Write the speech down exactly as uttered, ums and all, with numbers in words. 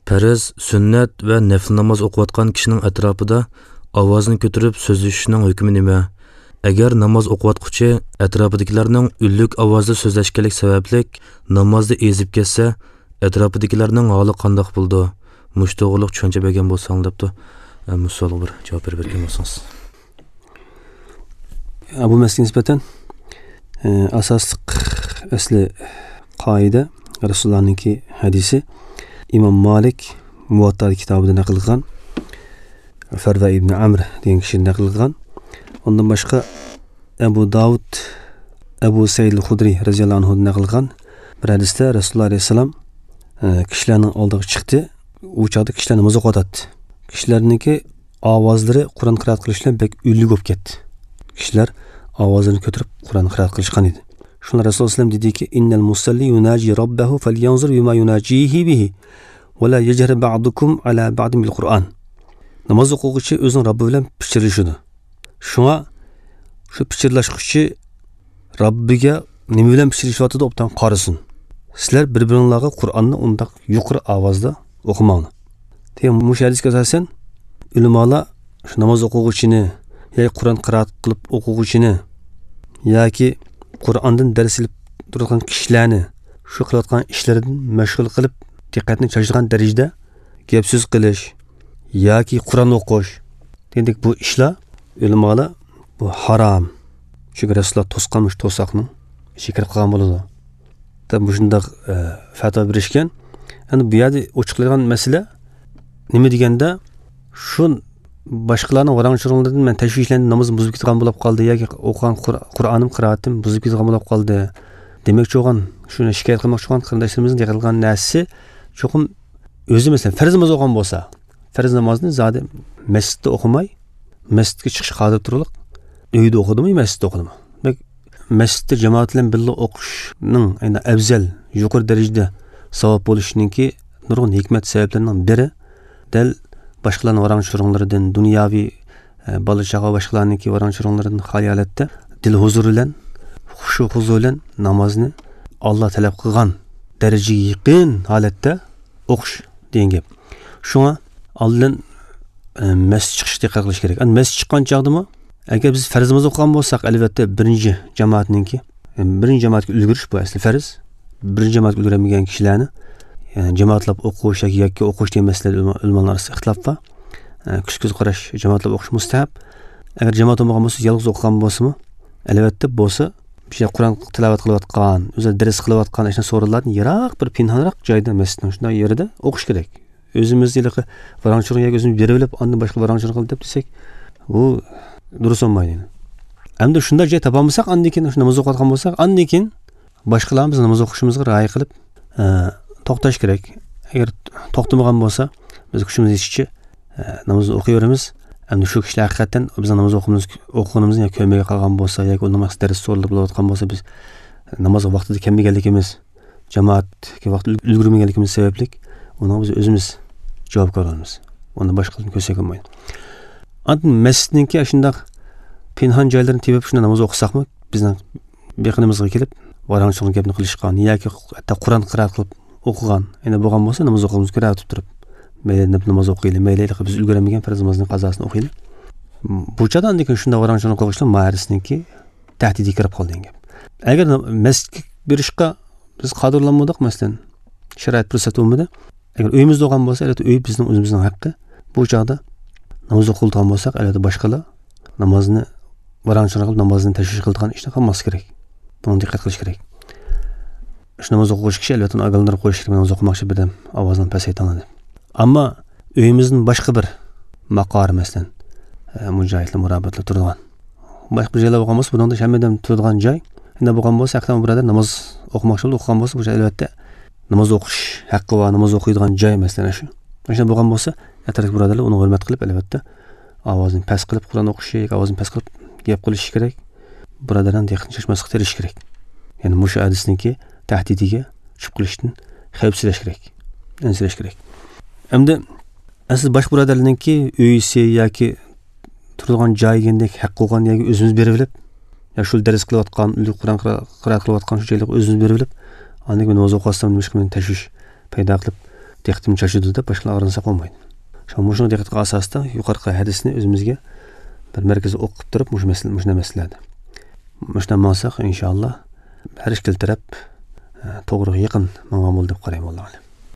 Farz, sunnat va nafl namoz o'qiyotgan kishining atrofida ovozini ko'tarib so'zlashishning hukmi nima? Agar namoz o'qiyotquchi atrofidagilarning unlik ovozda so'zlashganlik sababli namozda ezib ketsa, atrofidagilarning holi qandoq bo'ldi? Mush to'g'riliq tushuncha bergan bo'lsang debdi. Mush savolga bir javob berib bergan bo'lsangiz. Bu masalaga nisbatan e, asosli asli qoida Rasulullohninki hadisi Imom Malik Muvatta kitobida naql qilgan, Farva ibn Amr degan kishi naql qilgan. Undan boshqa Abu Davud Abu Said al-Xudriy radhiyallohu anhu naql qilgan bir hadisda Rasululloh alayhissalom e, kishilarning oldiga chiqdi. U chog'da kishilar namoz o'qiyotdi. Kishilarningki ovozlari Qur'on qiroat qilish bilan bek unli bo'lib ketdi. Kishilar ovozini ko'tarib Qur'on qiroat qilishgan edi. Shunda Rasululloh alayhi vasallam dediki: "Innal musalli yunaji robbahu falyanzur bima yunajihi bihi va la yajhar ba'dukum ala ba'din bil Qur'on." Namoz o'quvchi o'zining Robbi bilan pichirlashadi. Shunga shu pichirlashquchi Robbiga nima bilan pichirlashyotidi obdan qarasin. Sizlar bir-biringlarga Qur'onni undaq yuqori ovozda o'qimanglar. Degan mush hadisga asosan ulamolar shu namoz o'quvchini yoki Qur'on qiroat qilib o'quvchini yoki Qur'ondan dars ilib turgan kishilarni shu qilayotgan ishlaridan mashg'ul qilib diqqatni chashadigan darajada gap so'z qilish yoki Qur'on o'qish degandek bu ishlar ulamolar bu harom. Chunki Rasululloh to'sqanmish to'saqning ichiga kirib qolgan bo'ladi. Deb shundoq e, fatvo berishgan. Endi bu yerda ochiqlangan masala nima deganda, shu boshqalarning varang-churunglaridan men tashvishlanib namozim buzilib ketgan bo'lib qoldi yoki o'qigan Qur'onim qiroatim buzilib ketgan bo'lib qoldi demoqchi bo'lgan, shuni shikoyat qilmoqchi bo'lgan qarindoshlarimizning deyilgan narsasi cho'qim o'zi masalan farz namoz o'qigan bo'lsa, farz namozni zodi masjidda o'qimay, masjidga chiqish qodir turliq uyda o'qidimi, masjidda o'qidimi? Demak, masjidda jamoat bilan birga o'qishning endi afzal, yuqori darajada savob bo'lishiningki nurg'un hikmat sabablarining biri dal boshqalarning varang-churunglaridan, dunyoviy bola chaqa boshqalarningki varang-churunglaridan xoli holatda dil huzuri bilan, xushu huzur bilan namozni Alloh talab qilgan darajaga yaqin holatda o'qish degan gap. Shunga oldin e, masjid chiqishga diqqat qilish kerak. Endi masjid chiqqan chog'dami, agar biz farz namoz o'qigan bo'lsak, albatta birinchi jamoatninki, birinchi jamoatga ulgurish bu asli farz. Birinchi jamoatga ulguramagan kishilarni yani jamoatlab o'qish yoki yakka o'qish degan masalada ulamolar orasida ixtilof bor. Kuch ko'z qarash jamoatlab o'qish mustahab. Agar jamoat bo'lmagan bo'lsa, yolg'iz o'qigan bo'lsa-mu, albatta bo'lsa, bir şey Qur'on tilovat qilayotgan, o'zi dars qilayotgan ishni so'rinlardan yiroq bir pinhonroq joyda masjidning shunday yerida o'qish kerak. O'zimiz yiliqi varang-churang yoki o'zimiz berib olib, ondan boshqa varang-churang qilib deb desak, bu durust bo'lmaydi. Endi shunday joy topolmasak, andan keyin shu namoz o'qiyotgan bo'lsak, andan keyin boshqalar biz namoz o'qishimizga rioya qilib, e, to'xtash kerak. Agar to'xtamagan bo'lsa, biz kuchimiz yetishicha e, namozni o'qiyveramiz. Endi shu kishilar haqiqatan bizning namoz o'qimiz o'qiganimizni yoki ko'rmay qolgan bo'lsa yoki namoz dars so'ralib bo'layotgan bo'lsa, biz namoz vaqtida kelmaganligimiz, jamoatga vaqt ulgurmaganligimiz sababli uni biz o'zimiz javobgar bo'lamiz. Uni boshqalarni ko'rsak bo'lmaydi. Andan masjidninki shundoq pinhon joylarini tepib shunda namoz o'qisakmi, bizning beqinimizga kelib varang-churang gapni qilishgan yoki hatto Qur'on qiroat qilib o'qigan endi bo'lgan bo'lsa, namoz o'qimiz ko'rib turib, mayli deb namoz o'qiylik, mayli biz ulguramagan farz namozning qazosini o'qiylik. Bu chadan lekin shunda varang-churang qilishlar ma'risniki tahdidiga kirib qoldi degan gap. Agar masjidga berishga biz qodirlanmadik, masalan, sharoit fursat bo'lmadi. Agar uyimizda o'qigan bo'lsa, albatta uy bizning o'zimizning haqqi. Bu chog'da namoz o'qilgan bo'lsak, albatta boshqalar namozni varang-churang qilib namozni tashvish qiladigan ishni qilmas kerak. Buni diqqat qilish kerak. Shu namoz o'qish kishi albatta uni ogohlantirib qo'yish kerak, namoz o'qimoqchi birdan ovozini pasaytiradi. Ammo uyimizning boshqa bir maqori, masalan, mujohidlar murabbatlar turadigan boshqa bir joylar bo'lgan bo'lsa, bundan hammadan turadigan joy. Endi bo'lgan bo'lsa, haqiqatan birodar namoz o'qimoqchi bo'lib o'qigan bo'lsa, bu joy albatta namoz o'qish haqqi va namoz o'qiydigan joy, masalan, shu. Shunday bo'lgan bo'lsa, atrofdagi birodarlar uni hurmat qilib, albatta ovozini past qilib Qur'on o'qishi yoki ovozini past qilib gap qilishi kerak. Birodarlarni diqqatni chashmaslik terishish kerak. Ya'ni mushu hadisniki tahdidiga tushib qolishdan xavfsirash kerak, ansirash kerak. Endi asl boshqa birodarlarningki uyisi yoki turadigan joyigandek haq qo'ygan yoki o'zimiz berib olib, yo shu dars qilayotgan, Qur'on qiroat qilayotgan shu joylarga o'zimiz berib olib, andan keyin namoz o'qiyotgan nima qilib tashvish paydo qilib Diqqatim chachidi deb boshqalar og'rinsa bo'lmaydi. Shu mushuni diqqatga asosida yuqorqi hadisni o'zimizga bir markazda o'qib turib, mushu masala, mushuna masalalarni. Mushuna mansak inshaalloh har ikkala taraf to'g'riga yaqin mangan bo'ldi deb qarayman, allohu alam.